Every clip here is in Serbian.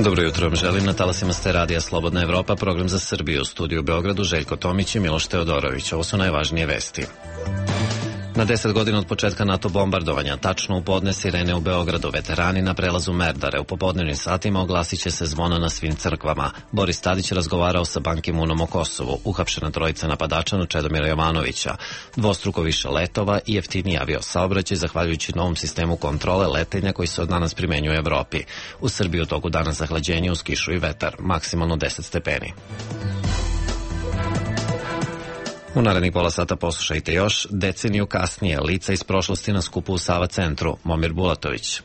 Dobro jutro vam želim na talasima ste radija Slobodna Evropa, program za Srbiju, u studiju u Beogradu Željko Tomić i Miloš Teodorović. Ovo su najvažnije vesti. Na 10 godina od početka NATO bombardovanja, tačno u podne sirene u Beogradu, veterani na prelazu Merdare u popodnevnim satima oglasit će se zvona na svim crkvama. Boris Tadić razgovarao sa Ban Ki-moonom o Kosovu, uhapšena trojica napadača na Čedomira Jovanovića, dvostruko više letova i jeftiniji avio-saobraćaj zahvaljujući novom sistemu kontrole letenja koji se od danas primenjuje u Evropi. U Srbiji u toku dana zahlađenje uz kišu i vetar, maksimalno 10 stepeni. U narednih pola sata poslušajte još, deceniju kasnije, lica iz prošlosti na skupu u Sava centru, Momir Bulatović.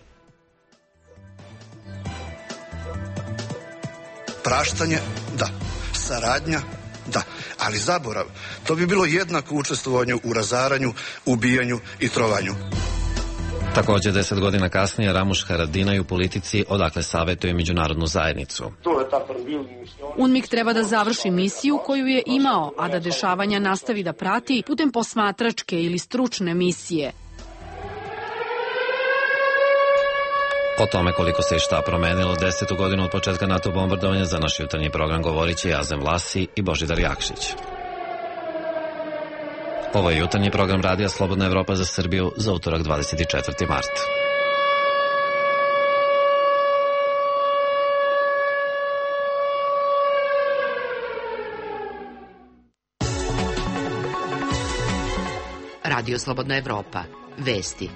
Praštanje, da. Saradnja, da. Ali zaborav, to bi bilo jednako učestvovanju u razaranju, ubijanju i trovanju. Također 10 godina kasnije Ramuš Haradinaj u politici odakle savjetuje međunarodnu zajednicu. UNMIK treba da završi misiju koju je imao, a da dešavanja nastavi da prati putem posmatračke ili stručne misije. O tome koliko se i šta promenilo 10. godinu od početka NATO bombardovanja za naš jutarnji program govorit će Azem Vlasi i Božidar Jakšić. Ovo je jutarnji program radija Slobodna Evropa za Srbiju za utorak 24. mart. Radio Slobodna Evropa. Vesti.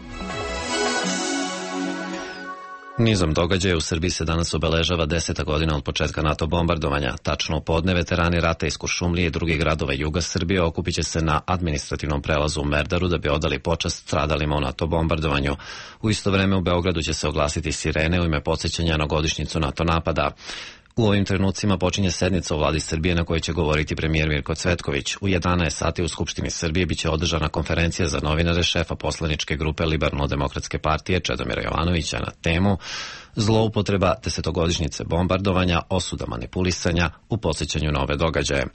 Nizom događaja u Srbiji se danas obeležava 10. godina od početka NATO bombardovanja. Tačno u podne veterani rata iz Kuršumlije i drugih gradova juga Srbije okupit će se na administrativnom prelazu u Merdaru da bi odali počast stradalima u NATO bombardovanju. U isto vreme u Beogradu će se oglasiti sirene u ime podsjećanja na godišnjicu NATO napada. U ovim trenucima počinje sednica u vladi Srbije na kojoj će govoriti premijer Mirko Cvetković. U 11 sati u Skupštini Srbije biće održana konferencija za novinare šefa poslaničke grupe Liberalno-demokratske partije Čedomira Jovanovića na temu zloupotreba 10-godišnjice bombardovanja, osuda manipulisanja u podsjećanju na ove događaje.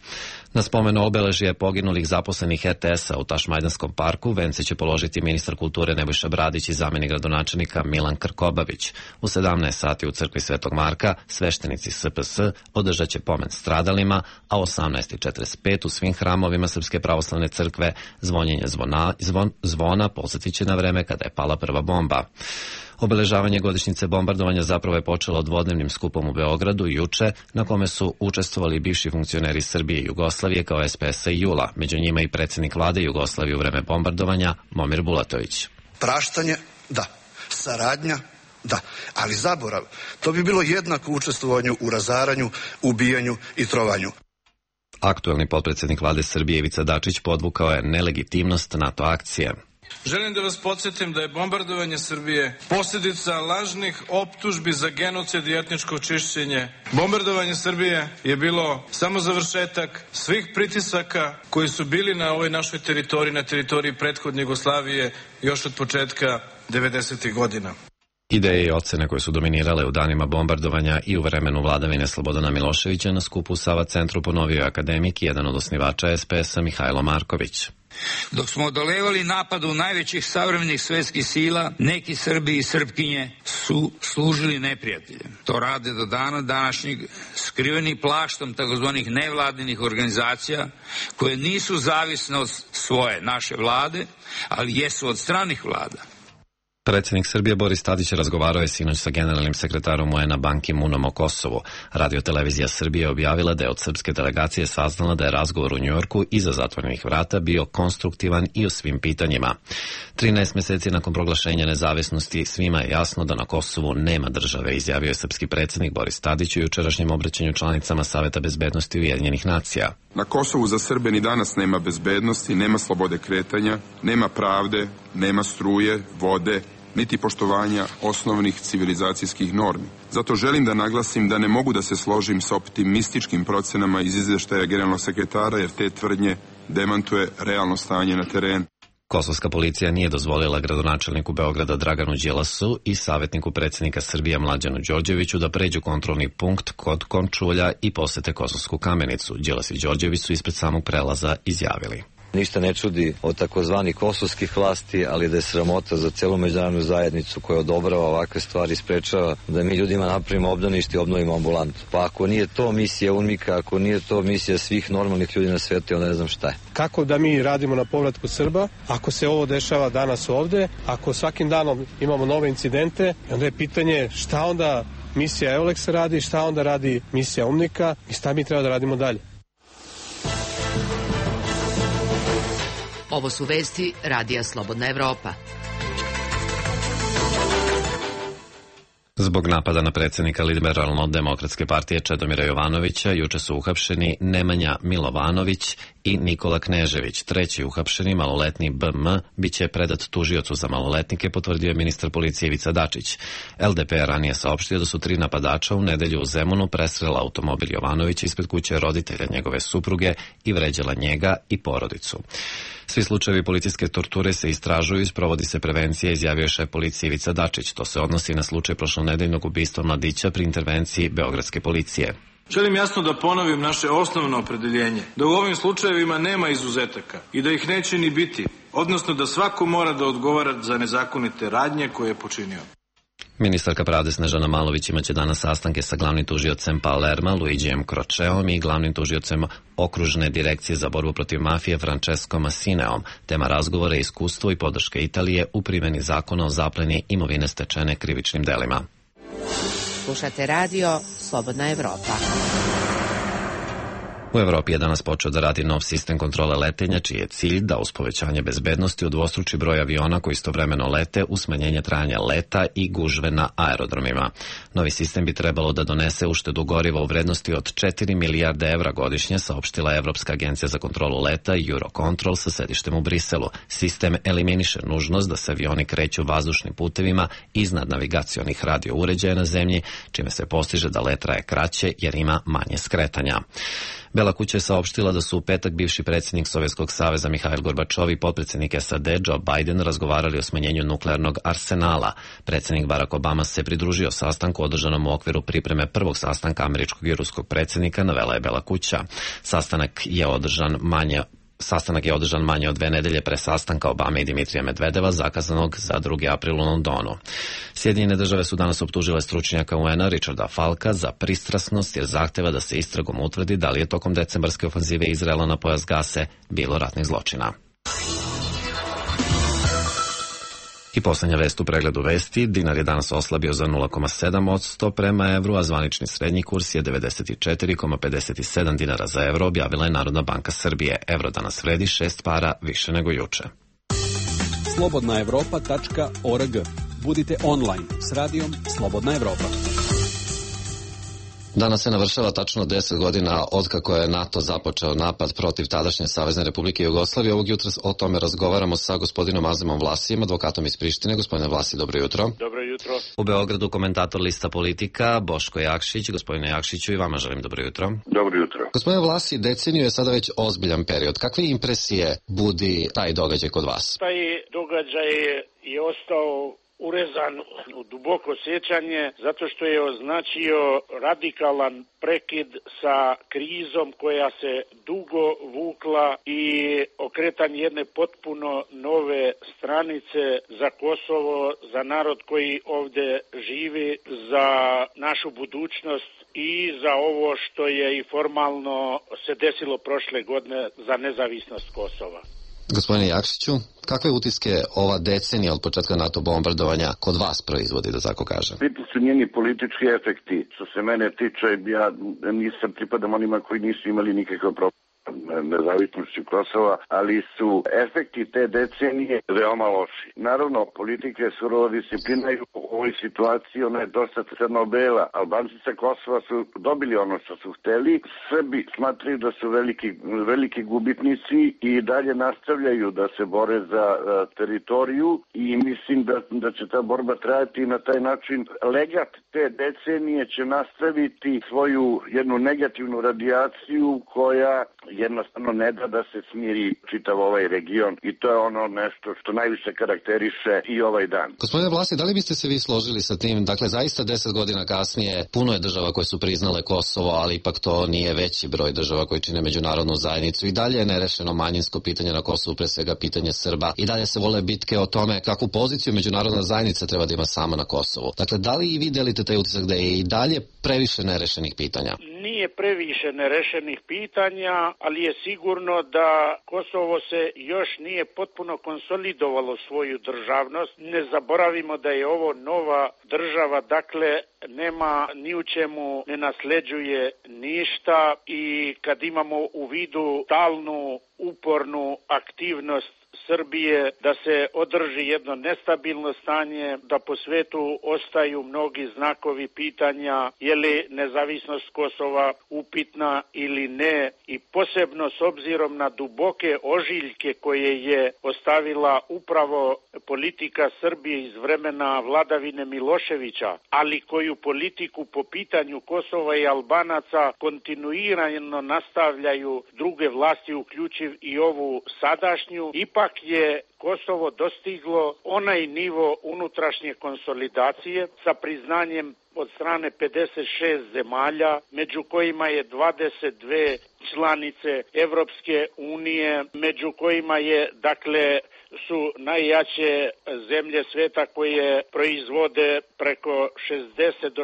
Na spomenu obeležije poginulih zaposlenih RTS-a u Tašmajdanskom parku vence će položiti ministar kulture Nebojša Bradić i zamenik gradonačelnika Milan Krkobabić. U 17 sati u crkvi Svetog Marka sveštenici SPS održat će pomen stradalima, a u 18:45 u svim hramovima Srpske pravoslavne crkve zvonjenje zvona podsjetit će na vreme kada je pala prva bomba. Obeležavanje godišnjice bombardovanja zapravo je počelo dvodnevnim skupom u Beogradu juče, na kome su učestvovali bivši funkcioneri Srbije i Jugoslavije kao SPS-a i JUL-a, među njima i predsjednik vlade Jugoslavije u vreme bombardovanja Momir Bulatović. Praštanje, da. Saradnja, da. Ali zaborav, to bi bilo jednako učestvovanju u razaranju, ubijanju i trovanju. Aktuelni potpredsjednik vlade Srbije Ivica Dačić podvukao je nelegitimnost NATO akcije. Želim da vas podsjetim da je bombardovanje Srbije posljedica lažnih optužbi za genocid i etničko čišćenje. Bombardovanje Srbije je bilo samo završetak svih pritisaka koji su bili na ovoj našoj teritoriji, na teritoriji prethodne Jugoslavije još od početka 90. godina. Ideje i ocene koje su dominirale u danima bombardovanja i u vremenu vladavine Slobodana Miloševića na skupu u Sava centru ponovio je akademik i jedan od osnivača SPS-a Mihajlo Marković. Dok smo odolevali napadu najvećih savremenih svetskih sila, neki Srbi i Srpkinje su služili neprijateljem. To rade do dana današnjeg, skriveni plaštom takozvanih nevladinih organizacija koje nisu zavisne od svoje naše vlade, ali jesu od stranih vlada. Predsjednik Srbije Boris Tadić razgovarao je sinoć sa generalnim sekretarom UN-a Ban Ki-moonom o Kosovu. Radio-televizija Srbije objavila da je od srpske delegacije saznala da je razgovor u Njujorku iza zatvorenih vrata bio konstruktivan i u svim pitanjima. 13 mjeseci nakon proglašenja nezavisnosti svima je jasno da na Kosovu nema države, izjavio je srpski predsjednik Boris Tadić u jučerašnjem obraćanju članicama Saveta bezbednosti Ujedinjenih nacija. Na Kosovu za Srbe ni danas nema bezbednosti, nema slobode kretanja, nema pravde, nema struje, vode, niti poštovanja osnovnih civilizacijskih normi. Zato želim da naglasim da ne mogu da se složim sa optimističkim procenama iz izveštaja generalnog sekretara, jer te tvrdnje demantuje realno stanje na terenu. Kosovska policija nije dozvolila gradonačelniku Beograda Draganu Đilasu i savjetniku predsjednika Srbije Mlađanu Đorđeviću da pređu kontrolni punkt kod Končulja i posete Kosovsku Kamenicu. Đilas i Đorđević su ispred samog prelaza izjavili. Ništa ne čudi od takozvanih kosovskih vlasti, ali da je sramota za celu međunarodnu zajednicu koja odobrava ovakve stvari, sprečava da mi ljudima napravimo obdanište i obnovimo ambulantu. Pa ako nije to misija UNMIK-a, ako nije to misija svih normalnih ljudi na svijetu, onda ne znam šta je. Kako da mi radimo na povratku Srba, ako se ovo dešava danas ovde, ako svakim danom imamo nove incidente, onda je pitanje šta onda misija EULEX radi, šta onda radi misija UNMIK-a i šta mi treba da radimo dalje. Ovo su vesti Radija Slobodna Evropa. Zbog napada na predsjednika Liberalno-demokratske partije Čedomira Jovanovića juče su uhapšeni Nemanja Milovanović i Nikola Knežević. Treći uhapšeni, maloletni BM, biće predat tužiocu za maloletnike, potvrdio je ministar policije Ivica Dačić. LDP ranije saopštio da su 3 napadača u nedelju u Zemunu presrela automobil Jovanovića ispred kuće roditelja njegove supruge i vređala njega i porodicu. Svi slučajevi policijske torture se istražuju i sprovodi se prevencija, izjavio je šef policije Ivica Dačić. To se odnosi na slučaj prošlonedeljnog ubistva mladića pri intervenciji beogradske policije. Želim jasno da ponovim naše osnovno opredeljenje, da u ovim slučajevima nema izuzetaka i da ih neće ni biti, odnosno da svako mora da odgovara za nezakonite radnje koje je počinio. Ministarka pravde Snežana Malović imaće danas sastanke sa glavnim tužiocem Palerma Luigijem Kročeom i glavnim tužiocem Okružne direkcije za borbu protiv mafije Francesco Massineom. Tema razgovora je iskustvo i podrška Italije u primjeni zakona o zapleni imovine stečene krivičnim delima. Slušate radio Slobodna Evropa. U Evropi je danas počeo da radi nov sistem kontrole letenja, čiji je cilj da uz povećanje bezbednosti udvostruči broj aviona koji istovremeno lete uz smanjenje trajanja leta i gužve na aerodromima. Novi sistem bi trebalo da donese uštedu goriva u vrednosti od 4 milijarde evra godišnje, saopštila Evropska agencija za kontrolu leta Eurocontrol sa sedištem u Briselu. Sistem eliminiše nužnost da se avioni kreću vazdušnim putevima iznad navigacionih radio uređaja na zemlji, čime se postiže da let traje kraće jer ima manje skretanja. Bela kuća je saopštila da su u petak bivši predsjednik Sovjetskog saveza Mihail Gorbačov i potpredsjednik SAD Joe Biden razgovarali o smanjenju nuklearnog arsenala. Predsjednik Barack Obama se pridružio sastanku održanom u okviru pripreme prvog sastanka američkog i ruskog predsjednika, navela je Bela kuća. Sastanak je održan manje od 2 nedelje pre sastanka Obame i Dimitrija Medvedeva, zakazanog za 2. april u Londonu. Sjedinjene države su danas optužile stručnjaka UN-a Richarda Falka za pristrasnost jer zahteva da se istragom utvrdi da li je tokom decembarske ofanzive Izraela na pojas Gase bilo ratnih zločina. I posljednja vest u pregledu vesti, dinar je danas oslabio za 0,7% prema evru, a zvanični srednji kurs je 94,57 dinara za evro, objavila je Narodna banka Srbije. Evro danas vredi 6 para više nego juče. slobodnaevropa.org. Budite online s radijom Slobodna Evropa. Danas se navršava tačno 10 godina od kako je NATO započeo napad protiv tadašnje Savezne Republike Jugoslavije. Ovog jutra o tome razgovaramo sa gospodinom Azemom Vlasijem, advokatom iz Prištine. Gospodine Vlasi, dobro jutro. Dobro jutro. U Beogradu komentator Lista Politika, Boško Jakšić. Gospodine Jakšiću, i vama želim dobro jutro. Dobro jutro. Gospodine Vlasi, deceniju je sada već ozbiljan period. Kakve impresije budi taj događaj kod vas? Taj događaj je ostao urezan u duboko sjećanje zato što je označio radikalan prekid sa krizom koja se dugo vukla i okretanje jedne potpuno nove stranice za Kosovo, za narod koji ovdje živi, za našu budućnost i za ovo što je i formalno se desilo prošle godine za nezavisnost Kosova. Gospodine Jakšiću, kakve utiske ova decenija od početka NATO bombardovanja kod vas proizvodi, da tako kažem? Biti su njeni politički efekti. Što se mene tiče, ja nisam pripadam onima koji nisu imali nikakav problem nezavisnosti Kosova, ali su efekti te decenije veoma loši. Naravno, politika je surova disciplina i u ovoj situaciji ona je dosta crno-bela. Albanci sa Kosova su dobili ono što su hteli. Srbi smatraju da su veliki gubitnici i dalje nastavljaju da se bore za teritoriju i mislim da će ta borba trajati i na taj način legat te decenije će nastaviti svoju jednu negativnu radijaciju koja jednostavno ne da da se smiri čitav ovaj region i to je ono nešto što najviše karakteriše i ovaj dan. Gospodine Vlasi, da li biste se vi složili sa tim. Dakle, zaista 10 godina kasnije puno je država koje su priznale Kosovo, ali ipak to nije veći broj država koji čine međunarodnu zajednicu. I dalje je nerešeno manjinsko pitanje na Kosovu, pre svega pitanje Srba. I dalje se vole bitke o tome kakvu poziciju međunarodna zajednica treba da ima sama na Kosovu. Dakle, da li i vi delite taj utisak da je i dalje previše nerešenih pitanja? Nije previše nerešenih pitanja, ali je sigurno da Kosovo se još nije potpuno konsolidovalo svoju državnost. Ne zaboravimo da je ovo nova država, dakle nema ni u čemu, ne nasleđuje ništa i kad imamo u vidu stalnu, upornu aktivnost Srbije da se održi jedno nestabilno stanje, da po svetu ostaju mnogi znakovi pitanja je li nezavisnost Kosova upitna ili ne, i posebno s obzirom na duboke ožiljke koje je ostavila upravo politika Srbije iz vremena vladavine Miloševića, ali koju politiku po pitanju Kosova i Albanaca kontinuirano nastavljaju druge vlasti, uključiv i ovu sadašnju. Ipak je Kosovo dostiglo onaj nivo unutrašnje konsolidacije sa priznanjem od strane 56 zemalja, među kojima je 22 članice Evropske unije, među kojima je, dakle, su najjače zemlje sveta koje proizvode preko 60 do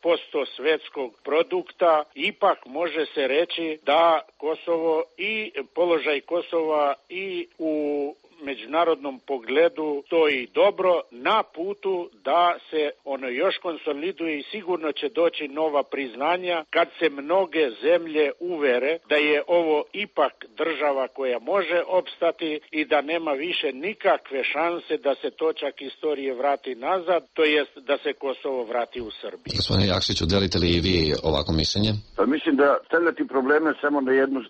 60% svetskog produkta. Ipak može se reći da Kosovo i položaj Kosova i u međunarodnom pogledu stoji dobro na putu da se ono još konsoliduje i sigurno će doći nova priznanja kad se mnoge zemlje uvere da je ovo ipak država koja može opstati i da nema više nikakve šanse da se točak istorije vrati nazad, to jest da se Kosovo vrati u Srbiju. Gospodine Jakšiću, delite li i vi ovako mišljenje? Pa mislim da stavljati probleme samo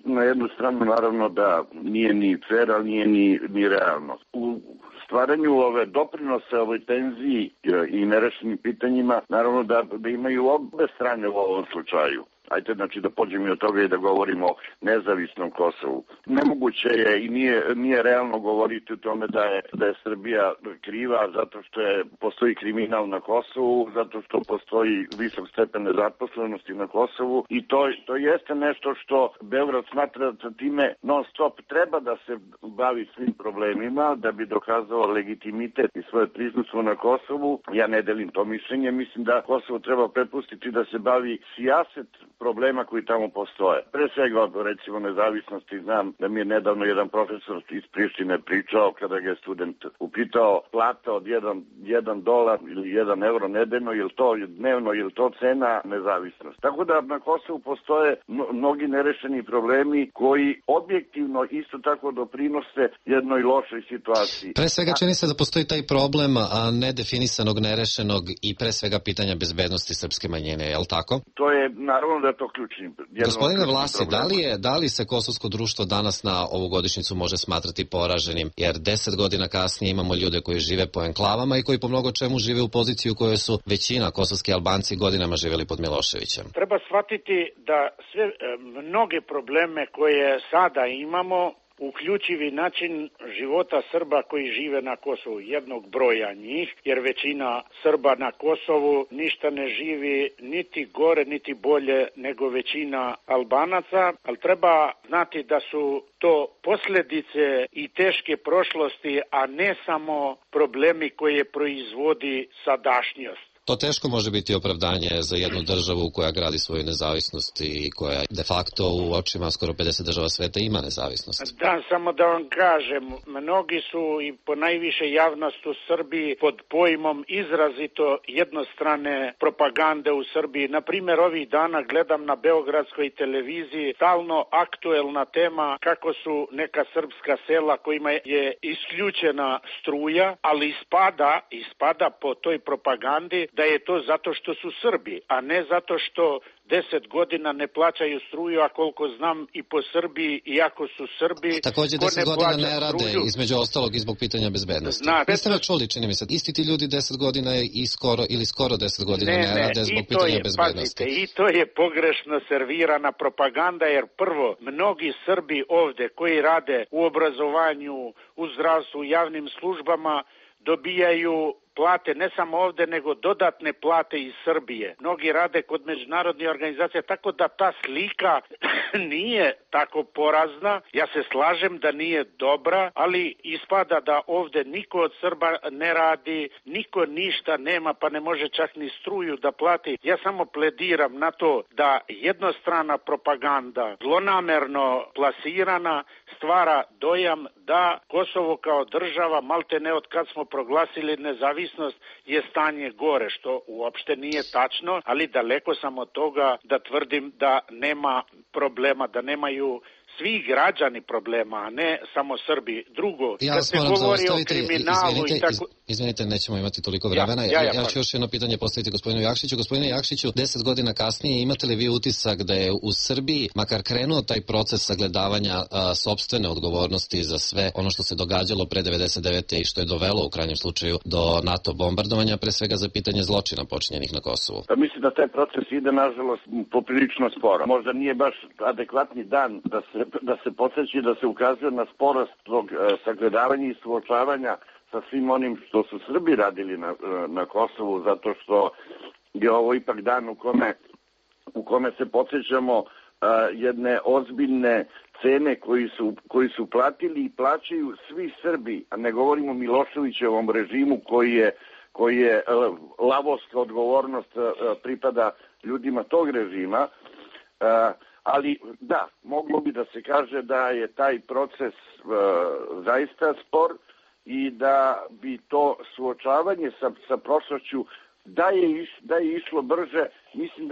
na jednu stranu, naravno da nije ni fair, ali nije ni realno. U stvaranju ove doprinose ovoj tenziji i nerešenim pitanjima, naravno da imaju obe strane u ovom slučaju. Ajde, znači da pođemo i od toga i da govorimo o nezavisnom Kosovu. Nemoguće je i nije realno govoriti o tome da je Srbija kriva zato što postoji kriminal na Kosovu, zato što postoji visok stepen nezaposlenosti na Kosovu i to jeste nešto što Beograd smatra da time non stop treba da se bavi svim problemima da bi dokazao legitimitet i svoje prisustvo na Kosovu. Ja ne delim to mišljenje, mislim da Kosovo treba prepustiti da se bavi sijaset problema koji tamo postoje. Pre svega, recimo, nezavisnosti, znam da mi je nedavno jedan profesor iz Prištine pričao kada ga je student upitao plata od $1 ili €1 nedeljno, je li to dnevno, je li to cena nezavisnosti. Tako da na Kosovu postoje mnogi nerešeni problemi koji objektivno isto tako doprinose jednoj lošoj situaciji. Pre svega čini se da postoji taj problem nedefinisanog, nerešenog i pre svega pitanja bezbednosti srpske manjine, je li tako? To je, naravno da je to ključni. Gospodine Vlasi, da li se kosovsko društvo danas na ovu godišnjicu može smatrati poraženim, jer 10 godina kasnije imamo ljude koji žive po enklavama i koji po mnogo čemu žive u poziciji u kojoj su većina kosovski Albanci godinama živjeli pod Miloševićem? Treba shvatiti da sve mnoge probleme koje sada imamo, uključivi način života Srba koji žive na Kosovu, jednog broja njih, jer većina Srba na Kosovu ništa ne živi niti gore niti bolje nego većina Albanaca, ali treba znati da su to posljedice i teške prošlosti, a ne samo problemi koje proizvodi sadašnjost. To teško može biti opravdanje za jednu državu koja gradi svoju nezavisnost i koja de facto u očima skoro 50 država sveta ima nezavisnost. Da, samo da vam kažem, mnogi su i po najviše javnost u Srbiji pod pojmom izrazito jednostrane propagande u Srbiji. Naprimjer, ovih dana gledam na beogradskoj televiziji stalno aktuelna tema kako su neka srpska sela kojima je isključena struja, ali ispada po toj propagandi da je to zato što su Srbi, a ne zato što 10 godina ne plaćaju struju, a koliko znam i po Srbiji, iako su Srbi... Također 10 godina ne rade, između ostalog i zbog pitanja bezbednosti. Niste li čuli, čini mi se, isti ti ljudi 10 godina i skoro 10 godina ne rade zbog pitanja bezbednosti. Pazite, i to je pogrešno servirana propaganda, jer prvo, mnogi Srbi ovde koji rade u obrazovanju, u zdravstvu, u javnim službama, dobijaju plate ne samo ovde, nego dodatne plate iz Srbije. Mnogi rade kod međunarodnih organizacija, tako da ta slika nije tako porazna. Ja se slažem da nije dobra, ali ispada da ovde niko od Srba ne radi, niko ništa nema, pa ne može čak ni struju da plati. Ja samo plediram na to da jednostrana propaganda, zlonamerno plasirana, stvara dojam da Kosovo kao država, malte ne od kad smo proglasili nezavisnost, je stanje gore, što uopšte nije tačno, ali daleko sam od toga da tvrdim da nema problema, da nemaju svi građani problema, a ne samo Srbi. Drugo, kad se govori o kriminalu i tako... Izvinite, nećemo imati toliko vremena. Ja ću još jedno pitanje postaviti gospodinu Jakšiću. Gospodine Jakšiću, 10 godina kasnije imate li vi utisak da je u Srbiji makar krenuo taj proces sagledavanja sopstvene odgovornosti za sve ono što se događalo pre 99. i što je dovelo u krajnjem slučaju do NATO bombardovanja, pre svega za pitanje zločina počinjenih na Kosovu? Mislim da taj proces ide, nažalost, poprilično sporo. Možda nije baš adekvatni dan da se podsjeći, da se ukazuje na sporost tog sagledavanja i suočavanja sa svim onim što su Srbi radili na Kosovu, zato što je ovo ipak dan u kome se podsjećamo jedne ozbiljne cene koji su platili i plaćaju svi Srbi, a ne govorimo o Miloševićevom režimu koji je lavovska odgovornost pripada ljudima tog režima. Ali da, moglo bi da se kaže da je taj proces zaista spor i da bi to suočavanje sa prošlošću da je išlo brže, mislim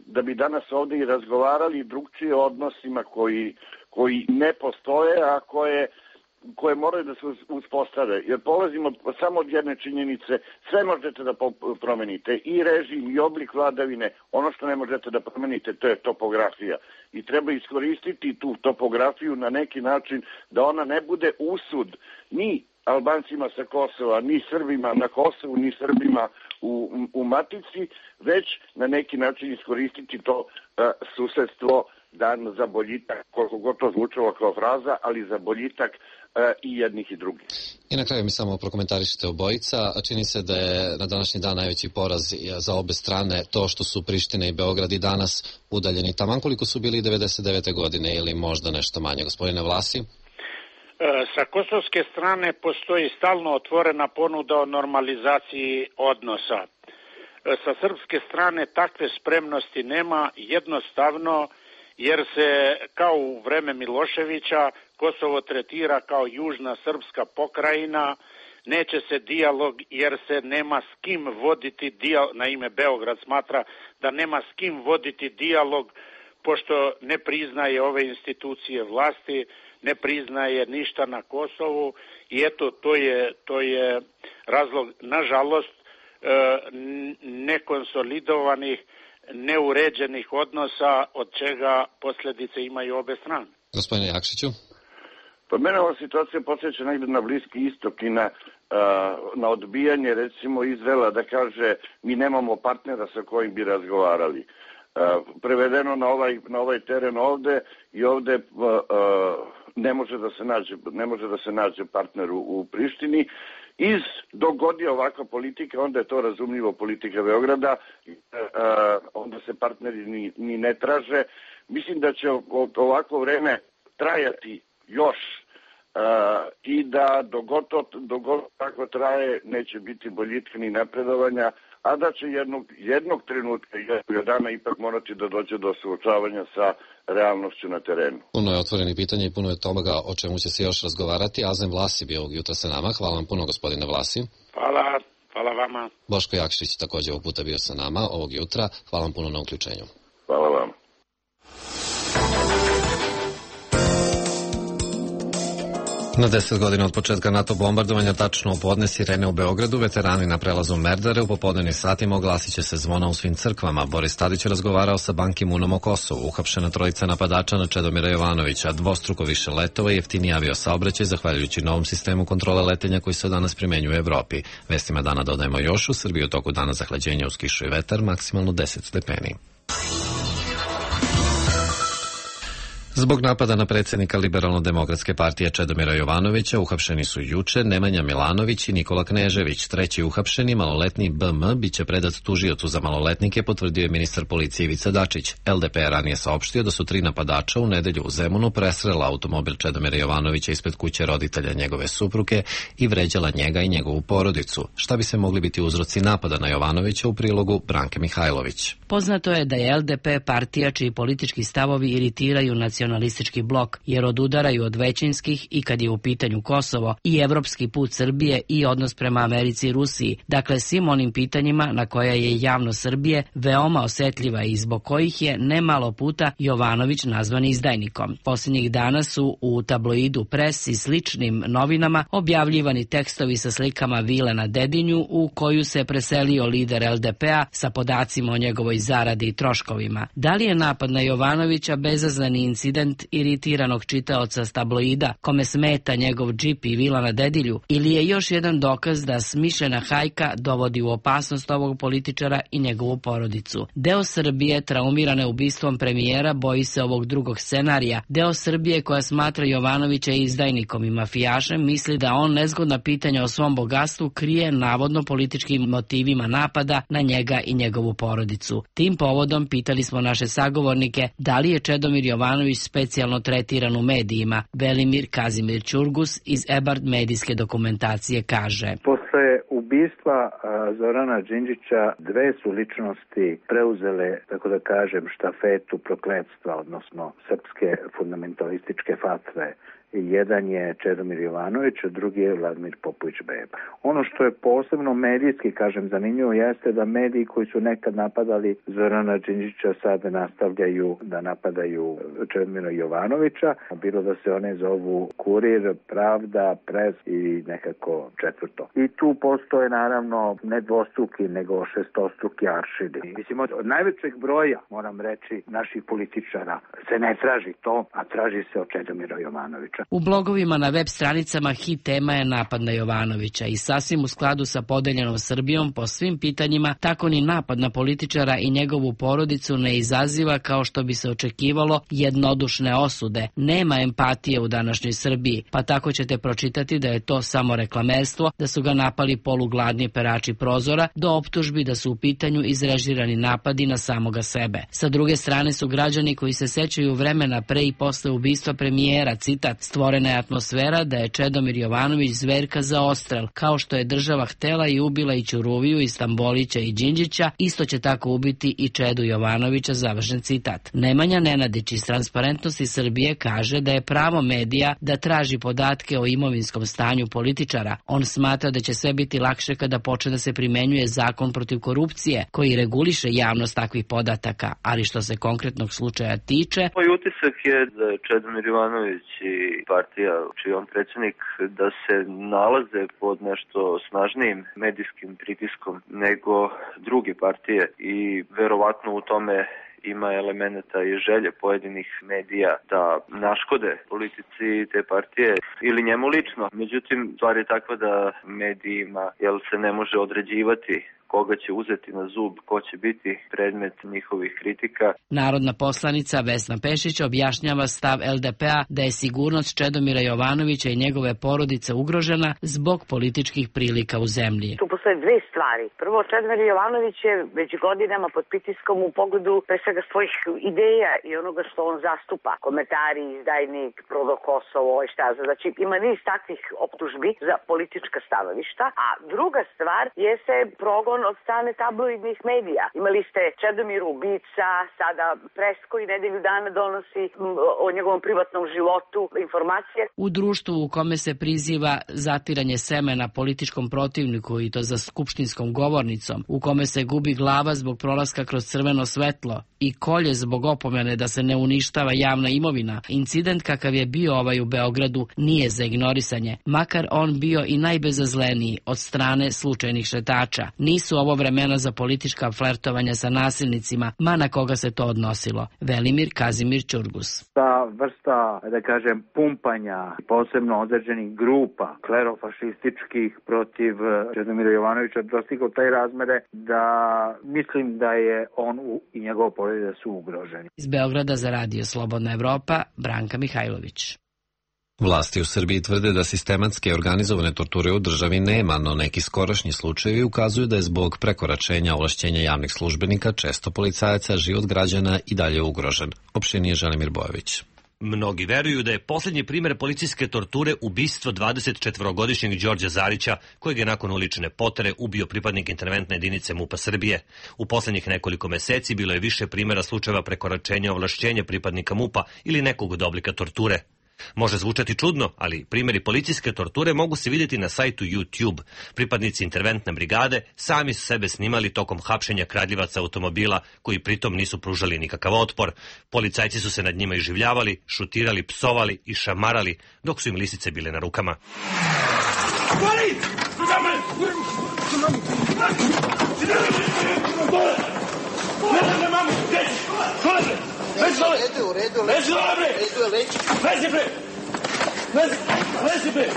da bi danas ovde i razgovarali drugčije o odnosima koji ne postoje, a koje moraju da se uspostave. Jer polazimo samo od jedne činjenice, sve možete da promenite, i režim, i oblik vladavine. Ono što ne možete da promenite, to je topografija. I treba iskoristiti tu topografiju na neki način da ona ne bude usud ni Albancima sa Kosova, ni Srbima na Kosovu, ni Srbima u Matici, već na neki način iskoristiti to susedstvo dan za boljitak, koliko god to zvučalo kao fraza, ali za boljitak i jednih i drugih. I na kraju mi samo prokomentarišite obojica. Čini se da je na današnji dan najveći poraz za obe strane to što su Priština i Beograd i danas udaljeni taman koliko su bili 99. godine ili možda nešto manje. Gospodine Vlasi? Sa kosovske strane postoji stalno otvorena ponuda o normalizaciji odnosa. Sa srpske strane takve spremnosti nema, jednostavno jer se kao u vreme Miloševića Kosovo tretira kao južna srpska pokrajina, neće se dijalog jer se nema s kim voditi dijalog, naime Beograd smatra da nema s kim voditi dijalog pošto ne priznaje ove institucije vlasti, ne priznaje ništa na Kosovu i eto to je razlog, nažalost, nekonsolidovanih, neuređenih odnosa od čega posljedice imaju obe strane. Gospodine Jakšiću? Pa mene ova situacija podsjeća negde na Bliski istok i na odbijanje recimo Izraela da kaže mi nemamo partnera sa kojim bi razgovarali. Prevedeno na ovaj teren ovde i ovde ne može da se nađe partner u Prištini. Dok god je ovakva politika, onda je to razumljivo politika Beograda, onda se partneri ni ne traže. Mislim da će ovakvo vreme trajati još i da dok god tako traje neće biti boljitka ni napredovanja, a da će jednog trenutka i jednog dana ipak morati da dođe do suočavanja sa realnošću na terenu. Puno je otvorenih pitanja i puno je toga o čemu će se još razgovarati. Azem Vlasi bio ovog jutra sa nama. Hvala vam puno, gospodine Vlasi. Hvala vama. Boško Jakšić također ovog puta bio sa nama ovog jutra. Hvala vam puno na uključenju. Hvala vam. Na 10 godina od početka NATO bombardovanja, tačno u podne sirene u Beogradu, veterani na prelazu Merdare u popodnevnim satima oglasit će se zvona u svim crkvama. Boris Tadić je razgovarao sa Ban Ki-moonom o Kosovu. Uhapšena trojica napadača na Čedomira Jovanovića, dvostruko više letova i jeftiniji aviosaobraćaj zahvaljujući novom sistemu kontrole letenja koji se danas primenjuje u Evropi. Vestima dana dodajemo još u Srbiji u toku dana zahlađenja uz kišu i vetar, maksimalno 10 stepeni. Zbog napada na predsjednika Liberalno-demokratske partije Čedomira Jovanovića uhapšeni su juče Nemanja Milanović i Nikola Knežević. Treći uhapšeni, maloletni BM, biće predat tužiocu za maloletnike, potvrdio je ministar policije Ivica Dačić. LDP je ranije saopštio da su 3 napadača u nedelju u Zemunu presrela automobil Čedomira Jovanovića ispred kuće roditelja njegove supruge i vređala njega i njegovu porodicu. Šta bi se mogli biti uzroci napada na Jovanovića, u prilogu Branke Mihajlović. Poznato je da je LDP partija čiji politički stavovi iritiraju nacionalistički blok, jer odudaraju od većinskih i kad je u pitanju Kosovo i evropski put Srbije i odnos prema Americi i Rusiji, dakle svim onim pitanjima na koja je javnost Srbije veoma osetljiva i zbog kojih je nemalo puta Jovanović nazvan izdajnikom. Posljednjih dana su u tabloidu Pres i sličnim novinama objavljivani tekstovi sa slikama vile na Dedinju u koju se preselio lider LDP-a sa podacima o njegovoj zaradi i troškovima. Da li je napad na Jovanovića bezazleni incident iritiranog čitaoca s tabloida kome smeta njegov džip i vila na Dedilju, ili je još jedan dokaz da smišljena hajka dovodi u opasnost ovog političara i njegovu porodicu? Deo Srbije traumirane ubistvom premijera boji se ovog drugog scenarija. Deo Srbije koja smatra Jovanovića izdajnikom i mafijašem misli da on nezgodna pitanja o svom bogatstvu krije navodno političkim motivima napada na njega i njegovu porodicu. Tim povodom pitali smo naše sagovornike da li je Čedomir Jovanović specijalno tretiran u medijima. Velimir Kazimir Ćurgus iz Ebard medijske dokumentacije kaže: Posle ubistva Zorana Đinđića dve su ličnosti preuzele, tako da kažem, štafetu prokletstva, odnosno srpske fundamentalističke fatve. Jedan je Čedomir Jovanović, a drugi je Vladimir Popović Beba. Ono što je posebno medijski, kažem, zanimljivo jeste da mediji koji su nekad napadali Zorana Đinđića sada nastavljaju da napadaju Čedomira Jovanovića, bilo da se one zovu Kurir, Pravda, Pres i nekako četvrto. I tu postoje naravno ne dvostruki, nego šestostruki aršini. Mislim, od najvećeg broja, moram reći, naših političara se ne traži to, a traži se od Čedomira Jovanovića. U blogovima na web stranicama hit tema je napad na Jovanovića i sasvim u skladu sa podeljenom Srbijom po svim pitanjima, tako ni napad na političara i njegovu porodicu ne izaziva, kao što bi se očekivalo, jednodušne osude. Nema empatije u današnjoj Srbiji, pa tako ćete pročitati da je to samo reklamerstvo, da su ga napali polugladni perači prozora, do optužbi da su u pitanju izrežirani napadi na samoga sebe. Sa druge strane su građani koji se sećaju vremena pre i posle ubistva premijera, citat: stvorena je atmosfera da je Čedomir Jovanović zverka za odstrel, kao što je država htela i ubila i Ćuruviju, i Stambolića i Đinđića, isto će tako ubiti i Čedu Jovanovića, završen citat. Nemanja Nenadić iz Transparentnosti Srbije kaže da je pravo medija da traži podatke o imovinskom stanju političara. On smatra da će sve biti lakše kada počne da se primenjuje zakon protiv korupcije, koji reguliše javnost takvih podataka, ali što se konkretnog slučaja tiče... Moj utisak je da je Čedomir Jovanović i partija čiji on predsjednik da se nalaze pod nešto snažnijim medijskim pritiskom nego druge partije i verovatno u tome ima elemenata i želje pojedinih medija da naškode politici te partije ili njemu lično. Međutim, stvar je takva da medijima se ne može određivati koga će uzeti na zub, ko će biti predmet njihovih kritika. Narodna poslanica Vesna Pešić objašnjava stav LDP-a da je sigurnost Čedomira Jovanovića i njegove porodice ugrožena zbog političkih prilika u zemlji. Tu postoje dve stvari. Prvo, Čedomir Jovanović je već godinama pod pritiskom u pogledu pre svega svojih ideja i onoga što on zastupa. Komentari, izdajnik, prodo Kosovo i šta za. Znači, ima niz takvih optužbi za politička stanovišta. A druga stvar jeste progon od strane tabloidnih medija. Imali ste Čedomir ubica, sada Pres koji nedelju dana donosi o njegovom privatnom životu informacije. U društvu u kome se priziva zatiranje semena političkom protivniku i to za skupštinskom govornicom, u kome se gubi glava zbog prolaska kroz crveno svetlo i kolje zbog opomene da se ne uništava javna imovina, incident kakav je bio ovaj u Beogradu nije za ignorisanje, makar on bio i najbezazleniji od strane slučajnih šetača. Nisu ovo vremena za politička flertovanja sa nasilnicima, ma na koga se to odnosilo. Velimir Kazimir Ćurgus. Ta vrsta, da kažem, pumpanja, posebno određenih grupa klerofašističkih protiv Čedomira Jovanovića dostigao taj razmere da mislim da je on i njegova porodica smatraju da su ugroženi. Iz Beograda za Radio Slobodna Evropa, Branka Mihajlović. Vlasti u Srbiji tvrde da sistematske organizovane torture u državi nema, no neki skorašnji slučajevi ukazuju da je zbog prekoračenja ovlašćenja javnih službenika često policajaca život građana i dalje ugrožen. Opširnije Želimir Bojović. Mnogi veruju da je posljednji primer policijske torture ubistvo 24-godišnjeg Đorđa Zarića, kojeg je nakon ulične potere ubio pripadnik interventne jedinice MUP-a Srbije. U posljednjih nekoliko meseci bilo je više primjera slučajeva prekoračenja ovlašćenja pripadnika MUP-a ili nekog od oblika torture. Može zvučati čudno, ali primjeri policijske torture mogu se vidjeti na sajtu YouTube. Pripadnici interventne brigade sami su sebe snimali tokom hapšenja kradljivaca automobila, koji pritom nisu pružali nikakav otpor. Policajci su se nad njima iživljavali, šutirali, psovali i šamarali, dok su im lisice bile na rukama. U redu, lezi bre! Lezi bre!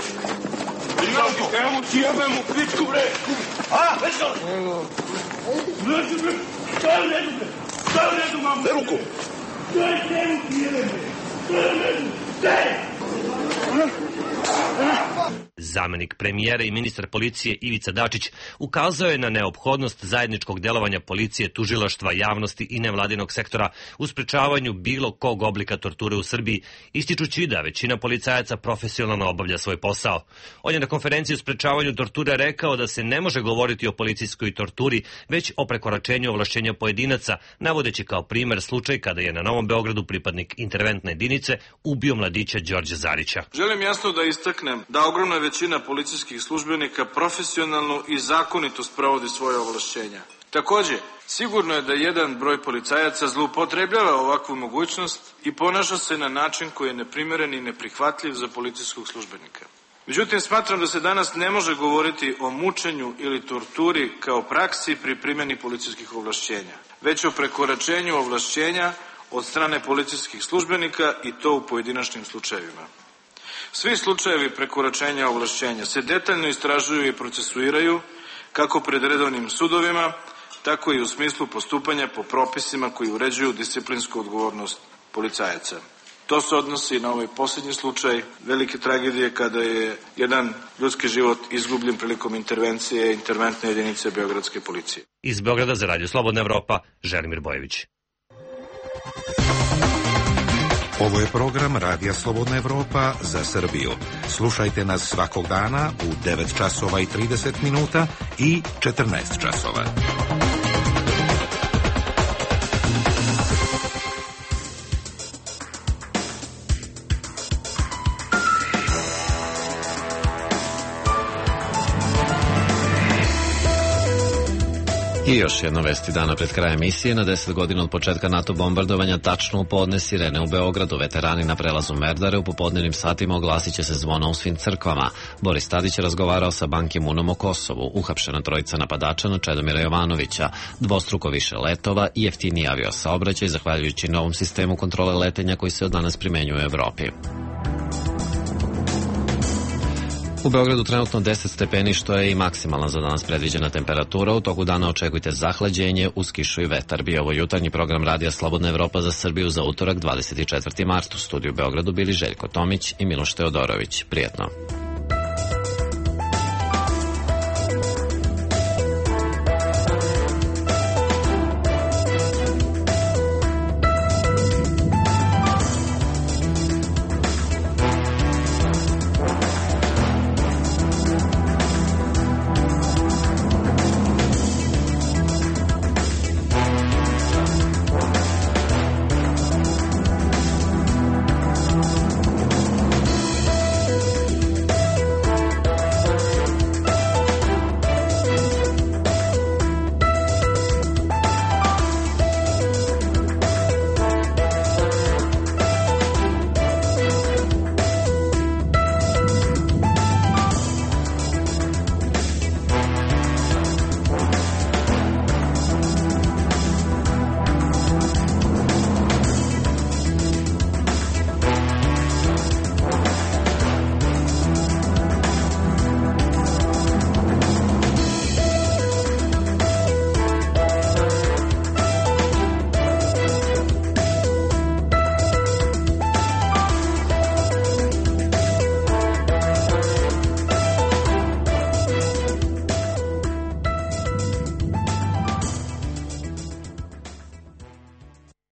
Evo ti jebem u pičku bre! Lezi bre! Šta u redu, mamu? Daj ruku! Daj ti jebem bre! Zamenik premijera i ministar policije Ivica Dačić ukazao je na neophodnost zajedničkog delovanja policije, tužilaštva, javnosti i nevladinog sektora u sprečavanju bilo kog oblika torture u Srbiji, ističući da većina policajaca profesionalno obavlja svoj posao. On je na konferenciji o sprečavanju torture rekao da se ne može govoriti o policijskoj torturi, već o prekoračenju ovlašćenja pojedinaca, navodeći kao primer slučaj kada je na Novom Beogradu pripadnik interventne jedinice ubio mladića Đorđa Zarića. Želim jasno da istaknem da ogromna većina policijskih službenika profesionalno i zakonito sprovodi svoje ovlašćenja. Takođe, sigurno je da jedan broj policajaca zloupotrebljava ovakvu mogućnost i ponaša se na način koji je neprimeren i neprihvatljiv za policijskog službenika. Međutim, smatram da se danas ne može govoriti o mučenju ili torturi kao praksi pri primjeni policijskih ovlašćenja, već o prekoračenju ovlašćenja od strane policijskih službenika i to u pojedinačnim slučajevima. Svi slučajevi prekoračenja ovlašćenja se detaljno istražuju i procesuiraju kako pred redovnim sudovima, tako i u smislu postupanja po propisima koji uređuju disciplinsku odgovornost policajaca. To se odnosi na ovaj posljednji slučaj velike tragedije kada je jedan ljudski život izgubljen prilikom intervencije interventne jedinice Beogradske policije. Iz Beograda za Radio Slobodna Evropa, Želimir Bojović. Ovo je program Radija Slobodna Evropa za Srbiju. Slušajte nas svakog dana u 9 časova i 30 minuta i 14 časova. I još jedno vesti dana pred krajem emisije. Na 10 godina od početka NATO bombardovanja, tačno u podne sirene u Beogradu. Veterani na prelazu Merdare u popodnevnim satima oglasit će se zvona u svim crkvama. Boris Tadić je razgovarao sa Ban Ki-moonom o Kosovu. Uhapšena trojica napadača na Čedomira Jovanovića. Dvostruko više letova i jeftiniji aviosaobraćaj zahvaljujući novom sistemu kontrole letenja koji se od danas primenjuje u Evropi. U Beogradu trenutno 10 stepeni, što je i maksimalna za danas predviđena temperatura. U toku dana očekujte zahlađenje uz kišu i vetar. Bio ovo jutarnji program Radija Slobodna Evropa za Srbiju za utorak 24. mart. U studiju u Beogradu bili Željko Tomić i Miloš Teodorović. Prijetno.